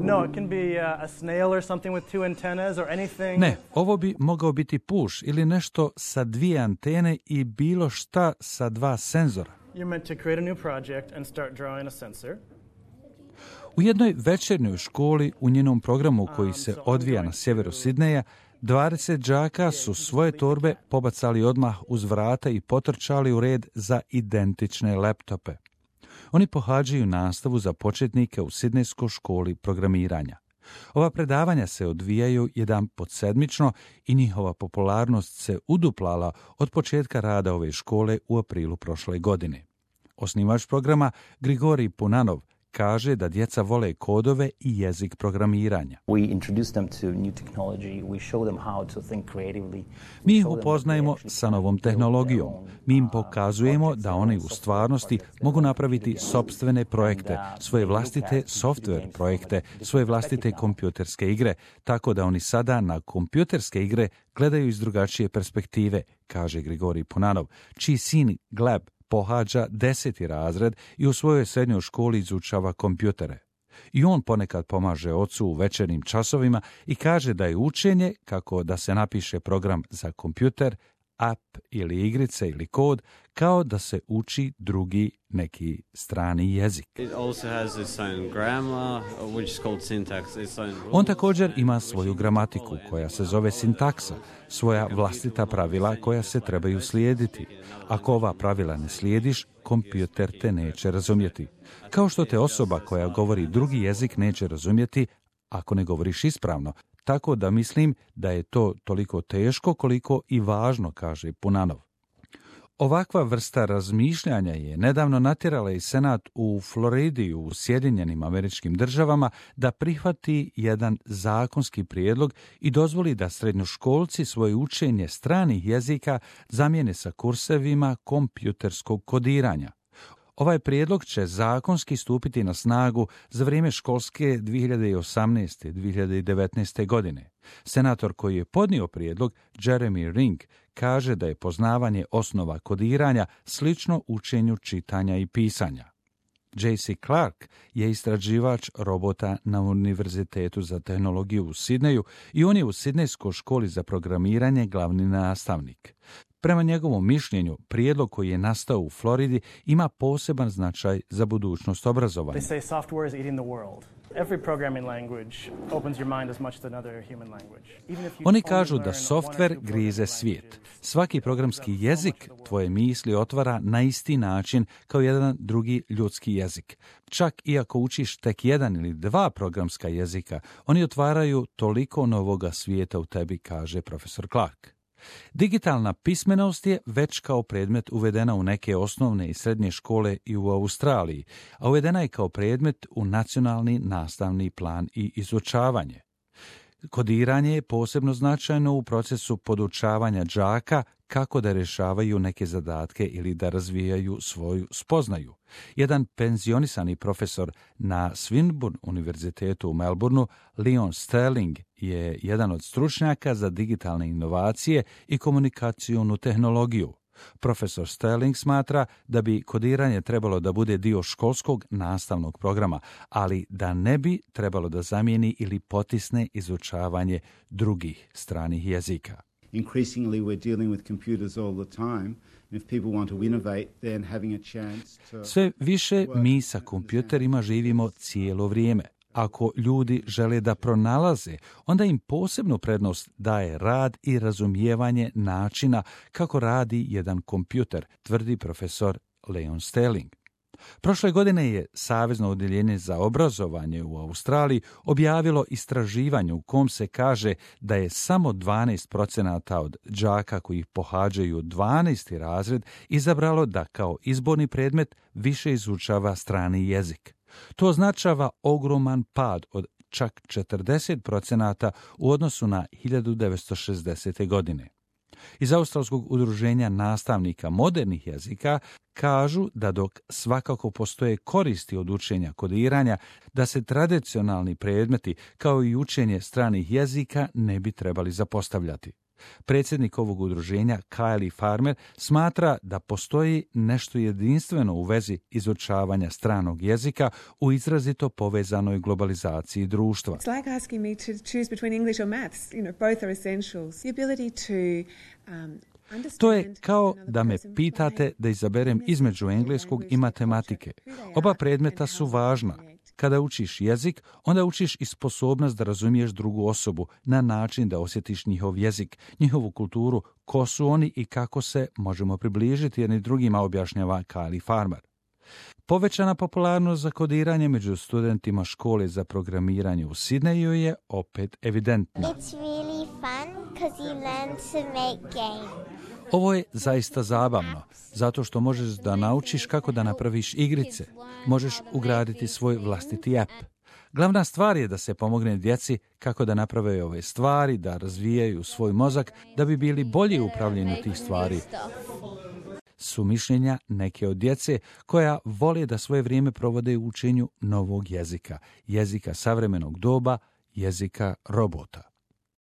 No, it can be a snail or something with 2 antennas or anything. Ne, ovo bi mogao biti puš ili nešto sa 2 antene i bilo šta sa 2 senzora. You're meant to create a new project and start drawing a sensor. U jednoj večernjoj školi u njenom programu koji se odvija na sjeveru Sidneja, 20 đaka su svoje torbe pobacali odmah uz vrata i potrčali u red za identične laptope. Oni pohađaju nastavu za početnike u Sidnejskoj školi programiranja. Ova predavanja se odvijaju jedanput sedmično i njihova popularnost se uduplala od početka rada ove škole u aprilu prošle godine. Osnivač programa Grigorij Punanov kaže da djeca vole kodove i jezik programiranja. Mi ih upoznajemo sa novom tehnologijom. Mi im pokazujemo da oni u stvarnosti mogu napraviti sopstvene projekte, svoje vlastite software projekte, svoje vlastite kompjuterske igre, tako da oni sada na kompjuterske igre gledaju iz drugačije perspektive, kaže Grigorij Punanov, čiji sin Gleb pohađa 10. razred i u svojoj srednjoj školi izučava kompjutere. I on ponekad pomaže ocu u večernjim časovima i kaže da je učenje kako da se napiše program za kompjuter, app ili igrice ili kod, kao da se uči drugi neki strani jezik. On također ima svoju gramatiku koja se zove sintaksa, svoja vlastita pravila koja se trebaju slijediti. Ako ova pravila ne slijediš, kompjuter te neće razumjeti. Kao što te osoba koja govori drugi jezik neće razumjeti ako ne govoriš ispravno. Tako da mislim da je to toliko teško koliko i važno, kaže Punanov. Ovakva vrsta razmišljanja je nedavno natjerala i Senat u Floridi u Sjedinjenim Američkim Državama da prihvati jedan zakonski prijedlog i dozvoli da srednjoškolci svoje učenje stranih jezika zamijene sa kursevima kompjuterskog kodiranja. Ovaj prijedlog će zakonski stupiti na snagu za vrijeme školske 2018. 2019. godine. Senator koji je podnio prijedlog, Jeremy Ring, kaže da je poznavanje osnova kodiranja slično učenju čitanja i pisanja. J.C. Clark je istraživač robota na Univerzitetu za tehnologiju u Sidneju i on je u Sidnejskoj školi za programiranje glavni nastavnik. Prema njegovom mišljenju, prijedlog koji je nastao u Floridi ima poseban značaj za budućnost obrazovanja. Oni kažu da softver grize svijet. Svaki programski jezik tvoje misli otvara na isti način kao jedan drugi ljudski jezik. Čak i ako učiš tek 1 ili 2 programska jezika, oni otvaraju toliko novoga svijeta u tebi, kaže profesor Clark. Digitalna pismenost je već kao predmet uvedena u neke osnovne i srednje škole i u Australiji, a uvedena je kao predmet u nacionalni nastavni plan i izučavanje. Kodiranje je posebno značajno u procesu podučavanja đaka kako da rješavaju neke zadatke ili da razvijaju svoju spoznaju. Jedan penzionisani profesor na Swinburne univerzitetu u Melbourneu, Leon Sterling, je jedan od stručnjaka za digitalne inovacije i komunikacijonu tehnologiju. Profesor Sterling smatra da bi kodiranje trebalo da bude dio školskog nastavnog programa, ali da ne bi trebalo da zamijeni ili potisne izučavanje drugih stranih jezika. Increasingly we're dealing with computers all the time. If people want to innovate, then having a chance to... Sve više mi sa kompjuterima živimo cijelo vrijeme. Ako ljudi žele da pronalaze, onda im posebnu prednost daje rad i razumijevanje načina kako radi jedan kompjuter, tvrdi profesor Leon Sterling. Prošle godine je Savezno odjeljenje za obrazovanje u Australiji objavilo istraživanje u kom se kaže da je samo 12% od đaka koji pohađaju 12. razred izabralo da kao izborni predmet više izučava strani jezik. To označava ogroman pad od čak 40% u odnosu na 1960. godine. Iz Australskog udruženja nastavnika modernih jezika kažu da dok svakako postoje koristi od učenja kodiranja, da se tradicionalni predmeti kao i učenje stranih jezika ne bi trebali zapostavljati. Predsjednik ovog udruženja, Kylie Farmer, smatra da postoji nešto jedinstveno u vezi izučavanja stranog jezika u izrazito povezanoj globalizaciji društva. It's like asking me to choose between English or maths. Both are essentials. The ability to To je kao da me pitate da izaberem između engleskog i matematike. Oba predmeta su važna. Kada učiš jezik, onda učiš i sposobnost da razumiješ drugu osobu na način da osjetiš njihov jezik, njihovu kulturu, ko su oni i kako se možemo približiti jedni drugima, objašnjava Kylie Farmer. Povećana popularnost za kodiranje među studentima škole za programiranje u Sidneju je opet evidentna. It's really fun because you learn to make games. Ovo je zaista zabavno, zato što možeš da naučiš kako da napraviš igrice. Možeš ugraditi svoj vlastiti app. Glavna stvar je da se pomogne djeci kako da naprave ove stvari, da razvijaju svoj mozak, da bi bili bolji u upravljanju tih stvari. Su mišljenja neke od djece koja vole da svoje vrijeme provode u učenju novog jezika, jezika savremenog doba, jezika robota.